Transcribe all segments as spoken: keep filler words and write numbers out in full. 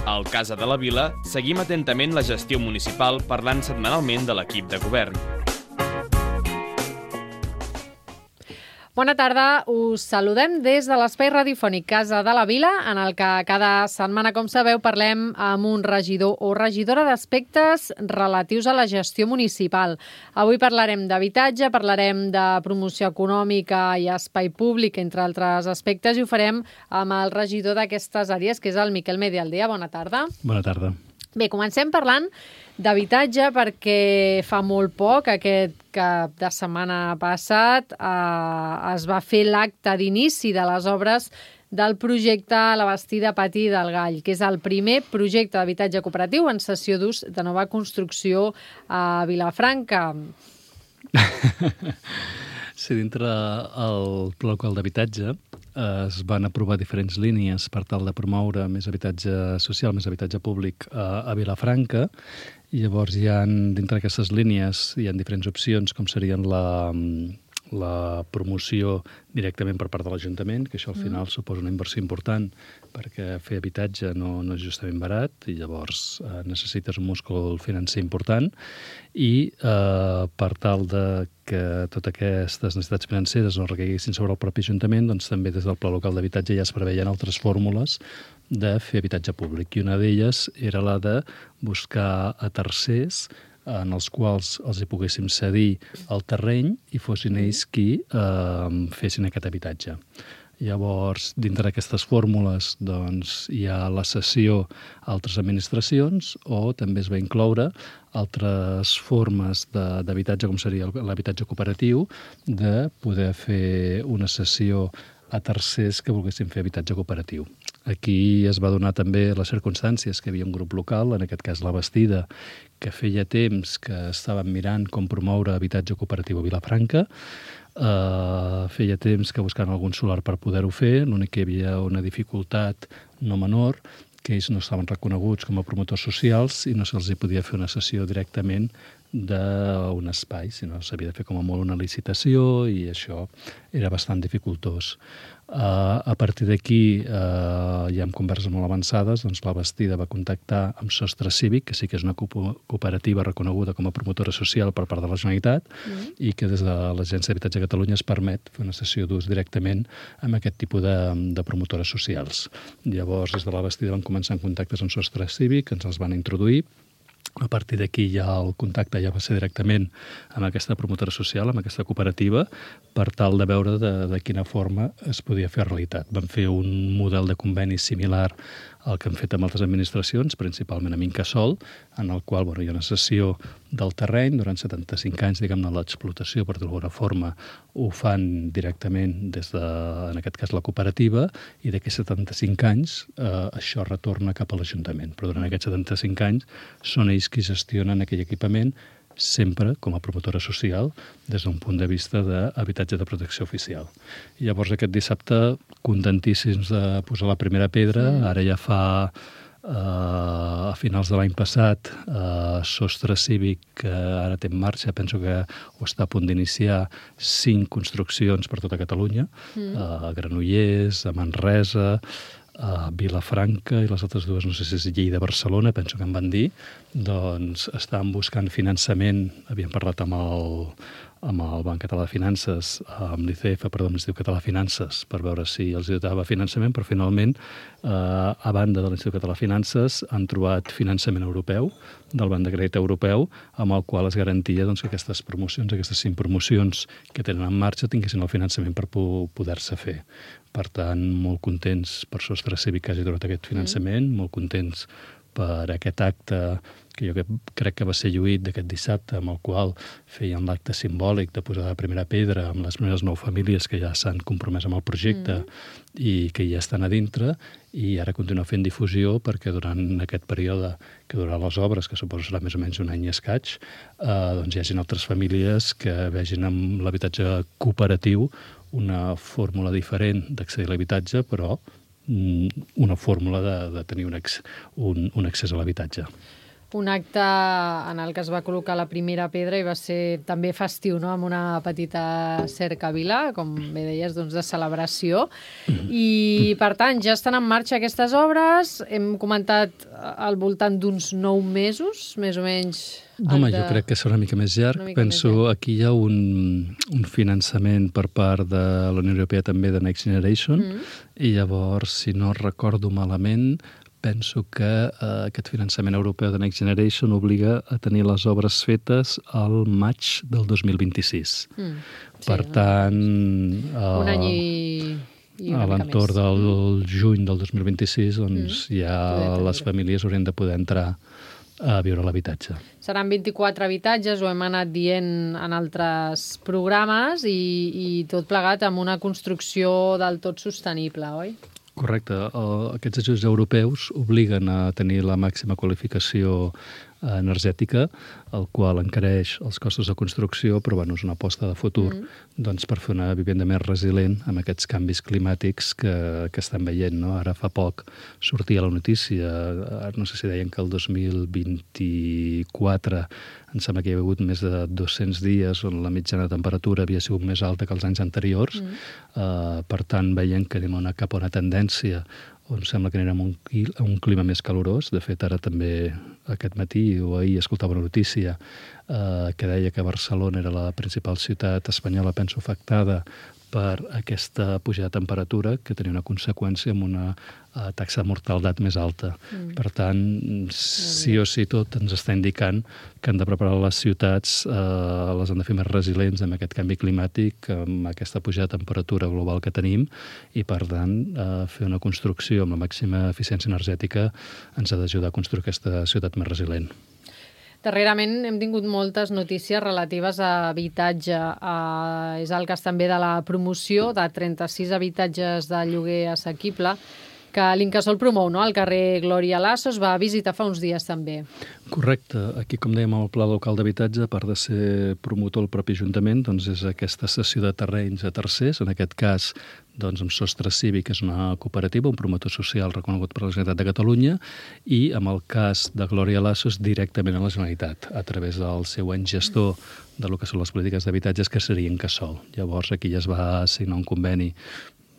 Al Casa de la Vila seguim atentament la gestió municipal parlant setmanalment de l'equip de govern. Bona tarda, us saludem des de l'espai radiofònic Casa de la Vila, en el que cada setmana, com sabeu, parlem amb un regidor o regidora d'aspectes relatius a la gestió municipal. Avui parlarem d'habitatge, parlarem de promoció econòmica i espai públic, entre altres aspectes, i ho farem amb el regidor d'aquestes àrees, que és el Miquel Medialdea. Bona tarda. Bona tarda. Bé, comencem parlant d'habitatge perquè fa molt poc, aquest cap de setmana passat, eh, es va fer l'acte d'inici de les obres del projecte La Bastida Pati del Gall, que és el primer projecte d'habitatge cooperatiu en cessió d'ús de nova construcció a Vilafranca. Sí, dintre el pla local d'habitatge es van aprovar diferents línies per tal de promoure més habitatge social, més habitatge públic a, a Vilafranca, i llavors hi ha, dintre d'aquestes línies hi ha diferents opcions, com serien la, la promoció directament per part de l'Ajuntament, que això al final mm. suposa una inversió important, perquè fer habitatge no, no és justament barat, i llavors eh, necessites un múscul financer important, i eh, per tal de que totes aquestes necessitats financeres no recaiguessin sobre el propi Ajuntament, doncs també des del Pla Local d'Habitatge ja es preveien altres fórmules de fer habitatge públic, i una d'elles era la de buscar a tercers en els quals els hi poguéssim cedir el terreny i fossin ells qui eh, fessin aquest habitatge. Llavors, dintre d'aquestes fórmules, doncs, hi ha la cessió a altres administracions, o també es va incloure altres formes d'habitatge, com seria l'habitatge cooperatiu, de poder fer una cessió a tercers que volguessin fer habitatge cooperatiu. Aquí es va donar també les circumstàncies que hi havia un grup local, en aquest cas La Bastida, que feia temps que estaven mirant com promoure habitatge cooperatiu a Vilafranca. Uh, feia temps que buscaven algun solar per poder-ho fer, l'únic que hi havia una dificultat no menor, que ells no estaven reconeguts com a promotors socials i no se'ls podia fer una cessió directament d'un espai, sinó s'havia de fer com a molt una licitació, i això era bastant dificultós. Uh, a partir d'aquí, uh, ja amb converses molt avançades, doncs La Bastida va contactar amb Sostre Cívic, que sí que és una cooperativa reconeguda com a promotora social per part de la Generalitat, mm. i que des de l'Agència d'Habitatge de Catalunya es permet fer una cessió d'ús directament amb aquest tipus de, de promotores socials. Llavors, des de La Bastida van començar en contactes amb Sostre Cívic, ens els van introduir. A partir d'aquí ja el contacte ja va ser directament amb aquesta promotora social, amb aquesta cooperativa, per tal de veure de, de quina forma es podia fer realitat. Vam fer un model de conveni similar al que hem fet amb altres administracions, principalment amb Incasòl, en el qual bueno, hi ha una cessió del terreny durant setanta-cinc anys, diguem-ne, l'explotació, per d'alguna forma, ho fan directament des de, en aquest cas, la cooperativa, i d'aquests setanta-cinc anys eh, això retorna cap a l'Ajuntament. Però durant aquests setanta-cinc anys són ells qui gestionen aquell equipament, sempre com a promotora social des d'un punt de vista d'habitatge de protecció oficial. I llavors aquest dissabte, contentíssims de posar la primera pedra, mm. ara ja fa Uh, a finals de l'any passat, uh, Sostre Cívic, que ara té en marxa, penso que ho està a punt d'iniciar, cinc construccions per tota Catalunya, mm. uh, a Granollers, a Manresa, a Vilafranca, i les altres dues, no sé si és Lleida, Barcelona, penso que em van dir, doncs estan buscant finançament, havien parlat amb el, amb el Banc Català de Finances, amb l'I C F, perdó, amb l'Institut Català de Finances, per veure si els dotava finançament, però finalment, eh, a banda de l'Institut Català de Finances, han trobat finançament europeu, del Banc de Crèdit Europeu, amb el qual es garantia doncs, que aquestes promocions, aquestes cinc promocions que tenen en marxa, tinguessin el finançament per poder-se fer. Per tant, molt contents per Sostre Cívic que hagi donat aquest finançament, mm. molt contents per aquest acte que jo crec que va ser lluït d'aquest dissabte, amb el qual feien l'acte simbòlic de posar la primera pedra amb les primeres nou famílies que ja s'han compromès amb el projecte mm. i que ja estan a dintre, i ara continua fent difusió perquè durant aquest període que durarà les obres, que suposo serà més o menys un any i escaig, eh, doncs hi hagin altres famílies que vegin amb l'habitatge cooperatiu una fórmula diferent d'accedir a l'habitatge, però una fórmula de, de tenir un, ex, un, un accés a l'habitatge. un acte en el que es va col·locar la primera pedra i va ser també festiu, no?, amb una petita cercavila, com bé deies, doncs, de celebració. I, per tant, ja estan en marxa aquestes obres. Hem comentat al voltant d'uns nou mesos, més o menys. Home, de... jo crec que serà una mica més llarg. Mica Penso més llarg. aquí hi ha un, un finançament per part de la Unió Europea també de Next Generation, mm. i llavors, si no recordo malament, penso que eh, aquest finançament europeu de Next Generation obliga a tenir les obres fetes al maig del dos mil vint-i-sis. Mm. Sí, per tant... Eh, un any i... I a l'entorn del juny del dos mil vint-i-sis, doncs mm. ja les famílies haurien de poder entrar a viure a l'habitatge. Seran vint-i-quatre habitatges, ho hem anat dient en altres programes, i, i tot plegat amb una construcció del tot sostenible, oi? Correcte. El, aquests ajuts europeus obliguen a tenir la màxima qualificació energètica, el qual encareix els costos de construcció, però bueno, és una aposta de futur mm. doncs, per fer una vivenda més resilient amb aquests canvis climàtics que, que estan veient. No? Ara fa poc sortia la notícia, no sé si deien que el dos mil vint-i-quatre em sembla que hi ha hagut més de dos-cents dies on la mitjana de temperatura havia sigut més alta que els anys anteriors. Mm. Uh, per tant, veiem que anem una, cap a una tendència on sembla que anirem a un, a un clima més calorós. De fet, ara també aquest matí o ahir escoltava una notícia eh, que deia que Barcelona era la principal ciutat espanyola, penso, afectada per aquesta pujada de temperatura, que tenia una conseqüència amb una uh, taxa de mortalitat més alta. Mm. Per tant, sí o sí tot ens està indicant que han de preparar les ciutats, uh, les han de fer més resilients amb aquest canvi climàtic, amb aquesta pujada de temperatura global que tenim, i per tant, uh, fer una construcció amb la màxima eficiència energètica ens ha d'ajudar a construir aquesta ciutat més resilient. Darrerament hem tingut moltes notícies relatives a habitatge. Uh, és el cas també de la promoció de trenta-sis habitatges de lloguer assequible que l'Incasòl promou, no?, al carrer Glòria Lasso. Es va visitar fa uns dies també. Correcte. Aquí, com dèiem, el Pla Local d'Habitatge, a part de ser promotor el propi Ajuntament, doncs és aquesta cessió de terrenys a tercers, en aquest cas doncs, amb Sostre Cívic, que és una cooperativa, un promotor social reconegut per la Generalitat de Catalunya, i amb el cas de Glòria Lasso directament a la Generalitat, a través del seu any gestor de lo que són les polítiques d'habitatges, que seria Incasòl. Llavors, aquí ja es va signar un conveni,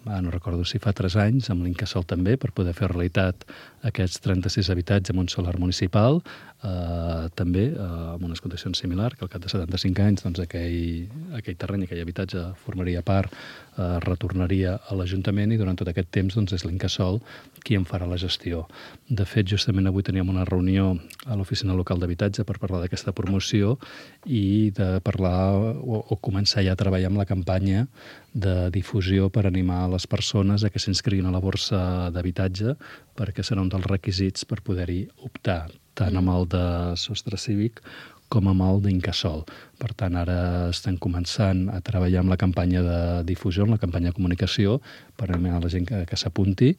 ah, no recordo si fa tres anys, amb l'Incasòl també, per poder fer realitat aquests trenta-sis habitatges amb un solar municipal, eh, també eh, amb unes condicions similars, que al cap de setanta-cinc anys doncs, aquell, aquell terreny, aquell habitatge formaria part, eh, retornaria a l'Ajuntament, i durant tot aquest temps doncs, és l'Incasòl qui en farà la gestió. De fet, justament avui teníem una reunió a l'Oficina Local d'Habitatge per parlar d'aquesta promoció i de parlar o, o començar ja a treballar amb la campanya de difusió per animar les persones a que s'inscriguin a la borsa d'habitatge, perquè serà un dels requisits per poder-hi optar, tant amb el de Sostre Cívic com amb el d'Incasòl. Per tant, ara estem començant a treballar amb la campanya de difusió, amb la campanya de comunicació, per animar la gent que, que s'apunti,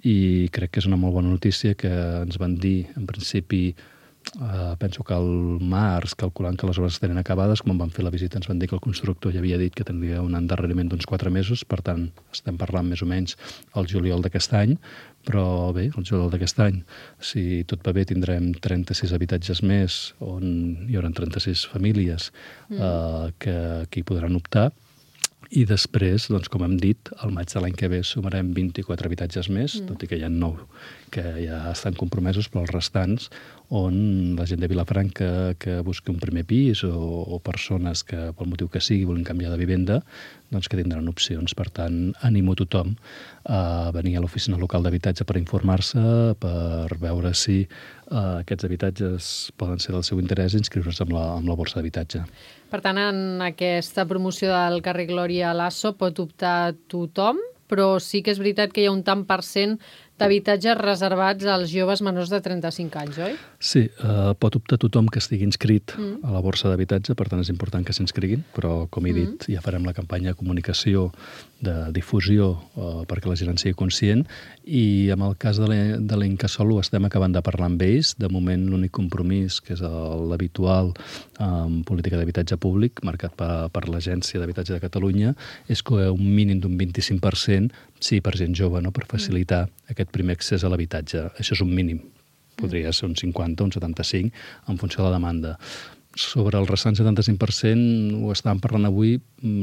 i crec que és una molt bona notícia que ens van dir, en principi, Uh, penso que al març, calculant que les obres estaven acabades, quan van fer la visita ens van dir que el constructor ja havia dit que tindria un endarreriment d'uns quatre mesos, per tant estem parlant més o menys el juliol d'aquest any, però bé, el juliol d'aquest any, si tot va bé, tindrem trenta-sis habitatges més on hi haurà trenta-sis famílies mm. uh, que, que hi podran optar. I després, doncs, com hem dit, al maig de l'any que ve sumarem vint-i-quatre habitatges més, mm. tot i que hi ha nou que ja estan compromesos, però els restants, on la gent de Vilafranca que busqui un primer pis o, o persones que, pel motiu que sigui, volen canviar de vivenda, doncs que tindran opcions. Per tant, animo tothom a venir a l'Oficina Local d'Habitatge per informar-se, per veure si uh, aquests habitatges poden ser del seu interès i inscriure's amb la, amb la borsa d'habitatge. Per tant, en aquesta promoció del carrer Glòria Lasso pot optar tothom, però sí que és veritat que hi ha un tant per cent d'habitatges reservats als joves menors de trenta-cinc anys, oi? Sí, eh, pot optar tothom que estigui inscrit mm. a la borsa d'habitatge, per tant és important que s'inscriguin, però com he dit, mm. ja farem la campanya de comunicació, de difusió, eh, perquè la gent en sigui conscient, i en el cas de l'Incasòl ho estem acabant de parlar amb ells. De moment l'únic compromís, que és l'habitual en política d'habitatge públic, marcat per, per l'Agència d'Habitatge de Catalunya, és que un mínim d'un vint-i-cinc per cent sí per gent jove, no? Per facilitar mm. aquest primer accés a l'habitatge. Això és un mínim. podria ser un cinquanta o un setanta-cinc en funció de la demanda. Sobre el restant setanta-cinc per cent, ho estàvem parlant avui,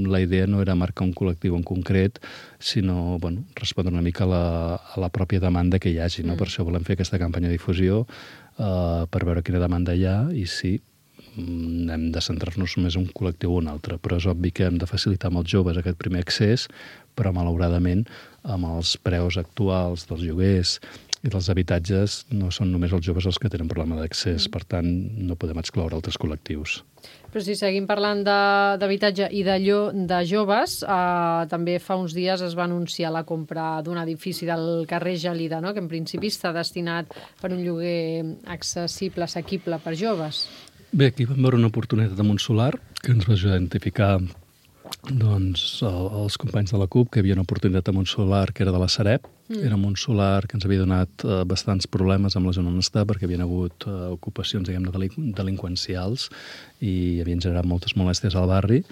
la idea no era marcar un col·lectiu en concret, sinó bueno, respondre una mica a la, a la pròpia demanda que hi hagi. No? Mm. Per això volem fer aquesta campanya de difusió uh, per veure quina demanda hi ha i sí, hem de centrar-nos només en un col·lectiu o un altre, però és obvi que hem de facilitar als joves aquest primer accés, però malauradament amb els preus actuals dels lloguers i dels habitatges no són només els joves els que tenen problema d'accés, per tant no podem excloure altres col·lectius. Però si seguim parlant d'habitatge i de, llo, de joves, eh, també fa uns dies es va anunciar la compra d'un edifici del carrer Gelida, no? Que en principi està destinat per un lloguer accessible, assequible per joves. Bé, aquí vam veure una oportunitat amb un solar que ens va ajudar a identificar doncs, els companys de la C U P que hi havia una oportunitat amb un solar que era de la Sareb. Mm. Era un solar que ens havia donat eh, bastants problemes amb la zona on està perquè havien hagut eh, ocupacions, diguem-ne, delin delinqüencials i havien generat moltes molèsties al barri.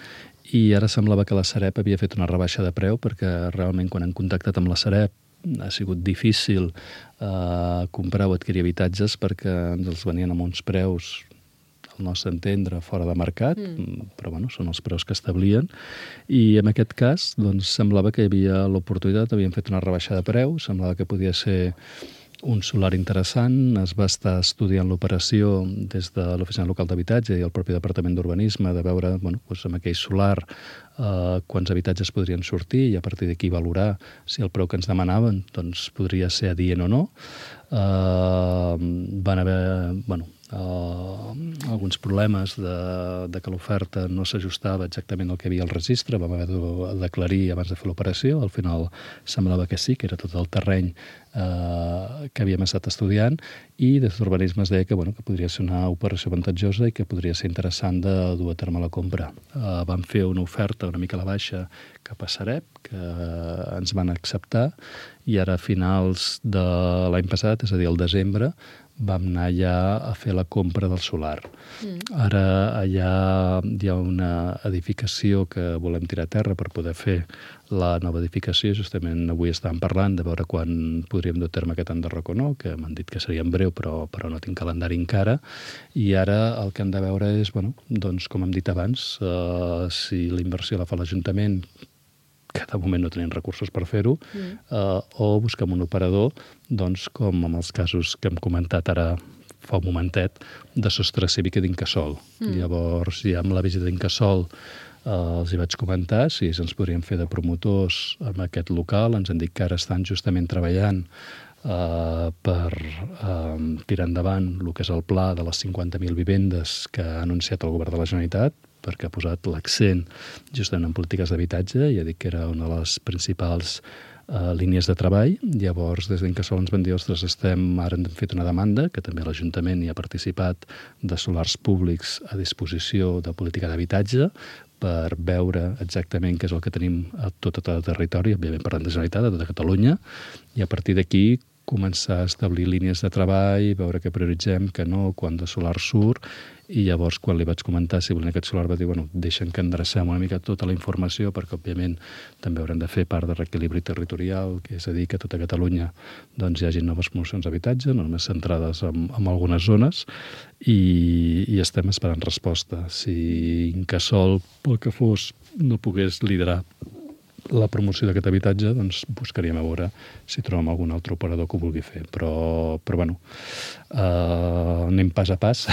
I ara semblava que la Sareb havia fet una rebaixa de preu perquè realment quan han contactat amb la Sareb ha sigut difícil eh, comprar o adquirir habitatges perquè ens els venien amb uns preus al nostre entendre, fora de mercat, mm. però bueno, són els preus que establien. I en aquest cas, doncs, semblava que hi havia l'oportunitat, havien fet una rebaixa de preu, semblava que podia ser un solar interessant, es va estar estudiant l'operació des de l'Oficina Local d'Habitatge i el propi Departament d'Urbanisme de veure, bueno, doncs amb aquell solar eh, quants habitatges podrien sortir i a partir d'aquí valorar si el preu que ens demanaven doncs, podria ser adient o no. Eh, van haver, bueno, Uh, alguns problemes de, de que l'oferta no s'ajustava exactament al que havia al registre, vam haver de d'aclarir abans de fer l'operació, al final semblava que sí, que era tot el terreny uh, que havíem estat estudiant i des d'urbanisme es deia que, bueno, que podria ser una operació avantatjosa i que podria ser interessant de dur a terme la compra. Uh, vam fer una oferta una mica a la baixa cap a Sareb, que ens van acceptar i ara a finals de l'any passat, és a dir, al desembre, vam anar ja a fer la compra del solar. Mm. Ara allà hi ha una edificació que volem tirar a terra per poder fer la nova edificació. Justament avui estàvem parlant de veure quan podríem dur a terme aquest enderroc o no, que m'han dit que seria en breu, però, però no tinc calendari encara. I ara el que hem de veure és, bueno, doncs, com hem dit abans, uh, si la inversió la fa l'Ajuntament, que de moment no tenim recursos per fer-ho, mm. eh, o busquem un operador, doncs, com en els casos que hem comentat ara fa un momentet, de Sostre Cívic i d'Incasòl. Mm. Llavors, ja amb la visita d'Incasòl eh, els hi vaig comentar si ens podríem fer de promotors en aquest local. Ens han dit que ara estan justament treballant eh, per eh, tirar endavant el que és el pla de les cinquanta mil vivendes que ha anunciat el govern de la Generalitat, perquè ha posat l'accent justament en polítiques d'habitatge i ha dit que era una de les principals uh, línies de treball. Llavors, des d'Incasòl ens van dir, ostres, estem, ara hem fet una demanda, que també l'Ajuntament hi ha participat, de solars públics a disposició de política d'habitatge, per veure exactament què és el que tenim a tot el territori, òbviament parlant de Generalitat, a tota Catalunya, i a partir d'aquí començar a establir línies de treball, veure què prioritzem, què no, quan de solar surt, i llavors quan li vaig comentar si volien aquest solar va dir, bueno, deixen que endrecem una mica tota la informació perquè òbviament també haurem de fer part de reequilibri territorial, que és a dir que a tota Catalunya doncs, hi hagi noves promocions d'habitatge, no només centrades en, en algunes zones, i, i estem esperant resposta. Si Incasòl, pel que fos, no pogués liderar la promoció d'aquest habitatge, doncs buscaríem a veure si trobem algun altre operador que ho vulgui fer. Però, però bueno, uh, anem pas a pas.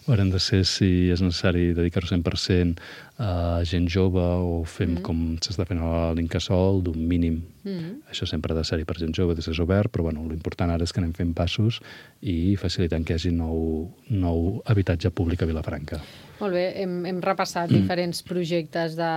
Haurem de ser si és necessari dedicar-ho cent per cent a gent jove o fem mm. com s'està fent a l'Incasòl, d'un mínim. Mm. Això sempre ha de ser-hi per gent jove, des és obert, però bueno, l'important ara és que anem fent passos i facilitant que hi hagi nou, nou habitatge públic a Vilafranca. Molt bé, hem, hem repassat mm. diferents projectes de,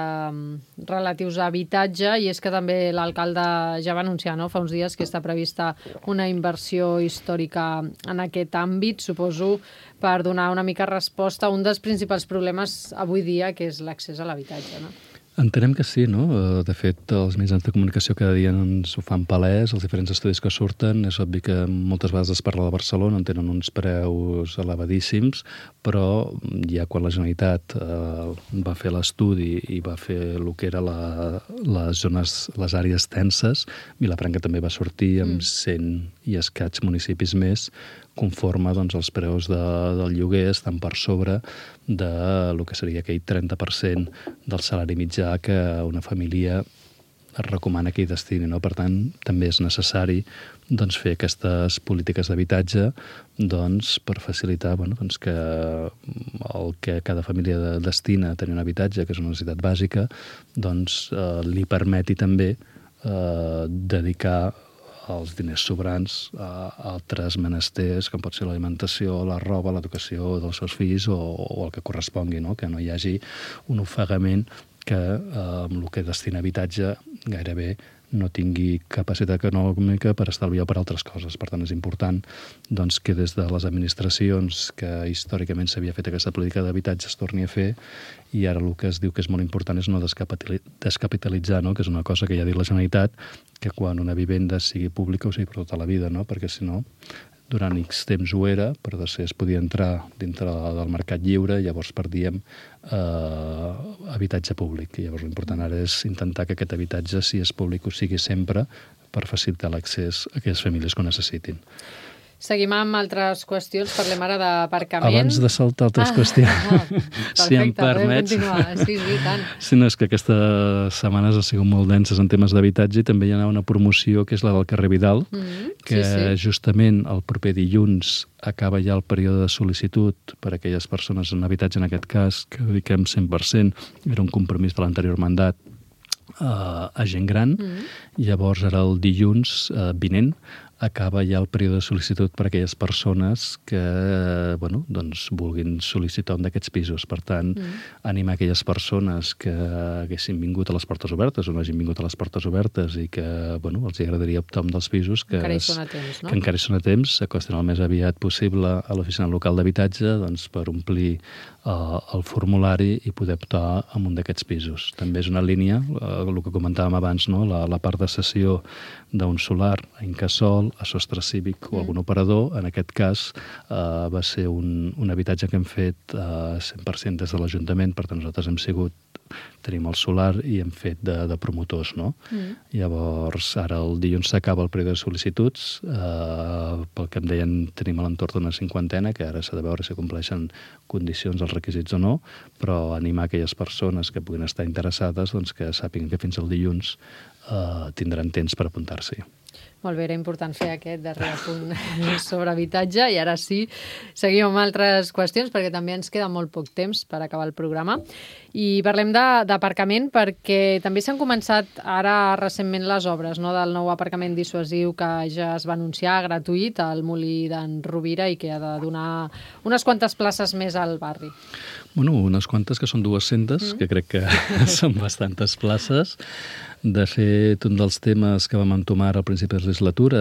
relatius a habitatge i és que també l'alcalde ja va anunciar, no?, fa uns dies que està prevista una inversió històrica en aquest àmbit, suposo, per donar una mica resposta a un dels principals problemes avui dia, que és l'accés a l'habitatge, no? Entenem que sí, no? De fet, els mitjans de comunicació cada dia ens ho fan palès, els diferents estudis que surten. És obvi que moltes vegades es parla de Barcelona, on tenen uns preus elevadíssims, però ja quan la Generalitat eh, va fer l'estudi i va fer el que era la, les zones, les àrees tenses, Vilafranca també va sortir amb cent i escaig municipis més, conforme doncs, els preus de, del lloguer estan per sobre de lo que seria aquell trenta per cent del salari mitjà que una família es recomana que hi destini. No? Per tant, també és necessari doncs, fer aquestes polítiques d'habitatge doncs, per facilitar bueno, doncs, que el que cada família destina a tenir un habitatge, que és una necessitat bàsica, doncs, eh, li permeti també eh, dedicar els diners sobrants a altres menesters, com pot ser l'alimentació, la roba, l'educació dels seus fills o, o el que correspongui, no? Que no hi hagi un ofegament que eh, amb el que destina habitatge gairebé no tingui capacitat econòmica per estalviar per altres coses. Per tant, és important doncs, que des de les administracions que històricament s'havia fet aquesta política d'habitatge es torni a fer, i ara el que es diu que és molt important és no descapitalitzar, no? Que és una cosa que ja ha dit la Generalitat, que quan una vivenda sigui pública ho sigui per tota la vida, no? Perquè si no, durant X temps ho era, però després es podia entrar dintre del mercat lliure, llavors perdíem eh, habitatge públic. I llavors l'important ara és intentar que aquest habitatge, si és públic, ho sigui sempre per facilitar l'accés a aquelles famílies que ho necessitin. Seguim amb altres qüestions, parlem ara d'aparcament. Abans de saltar altres ah, qüestions, ah, perfecte, si em permets. Sí, sí, tant. Sí, no, és que aquestes setmanes han sigut molt denses en temes d'habitatge i també hi ha una promoció que és la del carrer Vidal, mm-hmm, que sí, sí. justament el proper dilluns acaba ja el període de sol·licitud per a aquelles persones en habitatge, en aquest cas, que dediquem cent per cent, era un compromís de l'anterior mandat, Uh, a gent gran. Mm. Llavors, ara el dilluns uh, vinent acaba ja el període de sol·licitud per a aquelles persones que uh, bueno, doncs vulguin sol·licitar un d'aquests pisos. Per tant, mm. animar aquelles persones que haguessin vingut a les portes obertes o no hagin vingut a les portes obertes i que bueno, els agradaria optar un dels pisos que, encara hi són a temps, no? que encara hi són a temps, s'acostin el més aviat possible a l'oficina local d'habitatge doncs, per omplir uh, el formulari i poder optar a un d'aquests pisos. També és una línia, uh, el que comentàvem abans, no? la, la part de cessió d'un solar a Incasòl, a Sostre Cívic o algun operador. En aquest cas eh, va ser un, un habitatge que hem fet eh, cent per cent des de l'Ajuntament, per tant nosaltres hem sigut, tenim el solar i hem fet de, de promotors, no? Mm. Llavors, ara el dilluns s'acaba el període de sol·licituds, eh, pel que em deien tenim a l'entorn d'una cinquantena, que ara s'ha de veure si compleixen condicions els requisits o no, però animar aquelles persones que puguin estar interessades doncs, que sàpiguen que fins al dilluns eh, tindran temps per apuntar-s'hi. Molt bé, era important fer aquest darrer punt sobre habitatge i ara sí, seguim amb altres qüestions perquè també ens queda molt poc temps per acabar el programa. I parlem d'aparcament perquè també s'han començat ara recentment les obres, no?, del nou aparcament dissuasiu que ja es va anunciar gratuït al Molí d'en Rovira i que ha de donar unes quantes places més al barri. Bueno, unes quantes, que són dues-centes, mm. que crec que són bastantes places. De fet, un dels temes que vam entomar al principi de la legislatura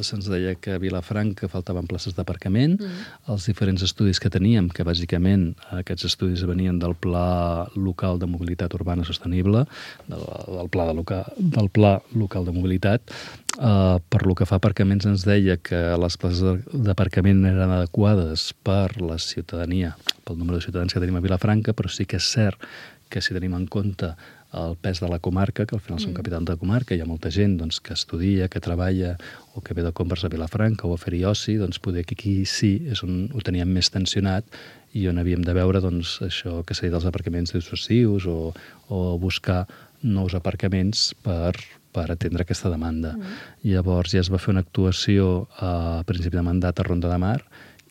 se'ns deia que a Vilafranca faltaven places d'aparcament. Mm. Els diferents estudis que teníem, que bàsicament aquests estudis venien del Pla Local de Mobilitat Urbana Sostenible, del, del, pla, de loca, del Pla Local de Mobilitat, eh, per lo que fa a aparcaments ens deia que les places d'aparcament eren adequades per la ciutadania, pel número de ciutadans que tenim a Vilafranca, però sí que és cert que si tenim en compte el pes de la comarca, que al final som capital de comarca, hi ha molta gent doncs, que estudia, que treballa o que ve de compres a Vilafranca o a fer-hi oci, doncs poder que aquí sí és on ho teníem més tensionat i on havíem de veure doncs, això que s'ha dit dels aparcaments dissuasius o, o buscar nous aparcaments per, per atendre aquesta demanda. Mm. Llavors ja es va fer una actuació a principi de mandat a Ronda de Mar,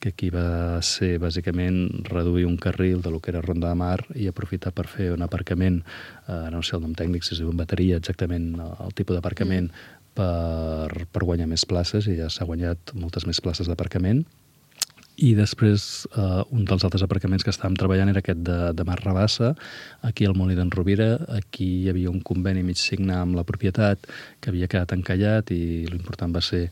que aquí va ser bàsicament reduir un carril de lo que era Ronda de Mar i aprofitar per fer un aparcament, eh, no sé el nom tècnic, si es diu en bateria, exactament el tipus d'aparcament, mm. per, per guanyar més places, i ja s'ha guanyat moltes més places d'aparcament. I després, eh, un dels altres aparcaments que estàvem treballant era aquest de, de Mar Rabassa, aquí al Molí d'en Rovira. Aquí hi havia un conveni mig signar amb la propietat que havia quedat encallat i l'important va ser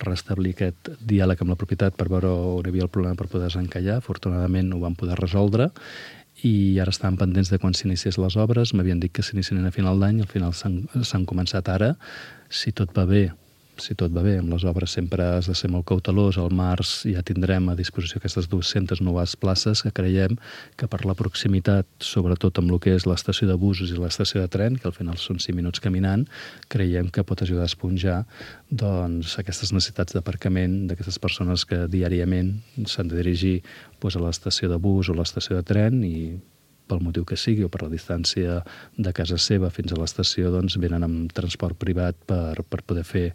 restablir aquest diàleg amb la propietat per veure on hi havia el problema per poder desencallar. Afortunadament ho vam poder resoldre i ara estaven pendents de quan s'iniciés les obres, m'havien dit que s'iniciarien a final d'any, al final s'han començat ara. Si tot va bé, si tot va bé, amb les obres sempre has de ser molt cautelós. Al març ja tindrem a disposició aquestes dues-centes noves places que creiem que per la proximitat, sobretot amb el que és l'estació de busos i l'estació de tren, que al final són cinc minuts caminant, creiem que pot ajudar a esponjar doncs, aquestes necessitats d'aparcament d'aquestes persones que diàriament s'han de dirigir doncs, a l'estació de bus o l'estació de tren i pel motiu que sigui o per la distància de casa seva fins a l'estació, doncs venen amb transport privat per, per poder fer,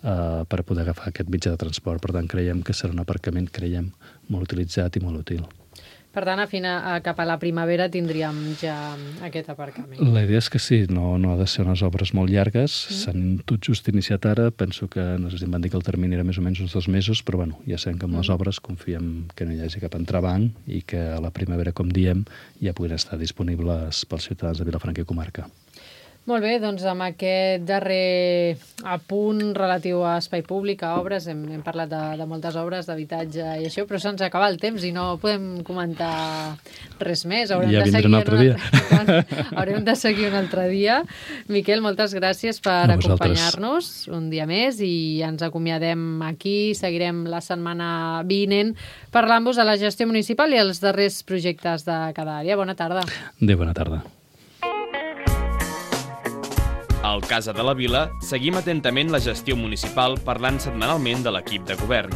uh, per poder agafar aquest mitjà de transport. Per tant, creiem que serà un aparcament, creiem, molt utilitzat i molt útil. Per tant, a fina, cap a la primavera tindríem ja aquest aparcament. La idea és que sí, no, no ha de ser unes obres molt llargues. Mm. S'han tot just iniciat ara. Penso que, no sé si em van dir que el termini era més o menys uns dos mesos, però bueno, ja sabem que amb mm. les obres confiem que no hi hagi cap entrebanc i que a la primavera, com diem, ja puguin estar disponibles pels ciutadans de Vilafranca i comarca. Molt bé, doncs amb aquest darrer apunt relatiu a espai públic, a obres, hem, hem parlat de, de moltes obres d'habitatge i això, però se'ns acaba el temps i no podem comentar res més. Haurem ja de vindré un altre una... dia. Haurem de seguir un altre dia. Miquel, moltes gràcies per acompanyar-nos un dia més i ens acomiadem aquí. Seguirem la setmana vinent parlant-vos de la gestió municipal i els darrers projectes de cada àrea. Bona tarda. Adéu, bona tarda. Al Casa de la Vila seguim atentament la gestió municipal parlant setmanalment de l'equip de govern.